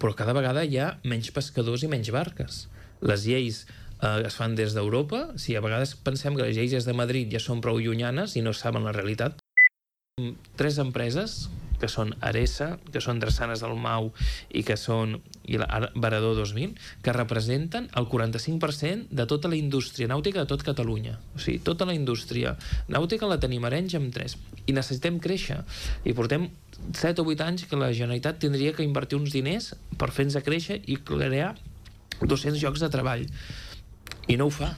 però cada vegada hi ha menys pescadors i menys barques. Les lleis es fan des d'Europa. Sí, a vegades pensem que les lleis des de Madrid ja són prou llunyanes i no saben la realitat. 3 empreses, que són Aresa, que són Drassanes del Mau i que són Varador 2000, que representen el 45% de tota la indústria nàutica de tot Catalunya. O sigui, tota la indústria nàutica la tenim a Arenys amb 3. I necessitem créixer. I portem 7 o 8 anys que la Generalitat tindria que invertir uns diners per fer-nos créixer i crear 200 llocs de treball. I no ho fa.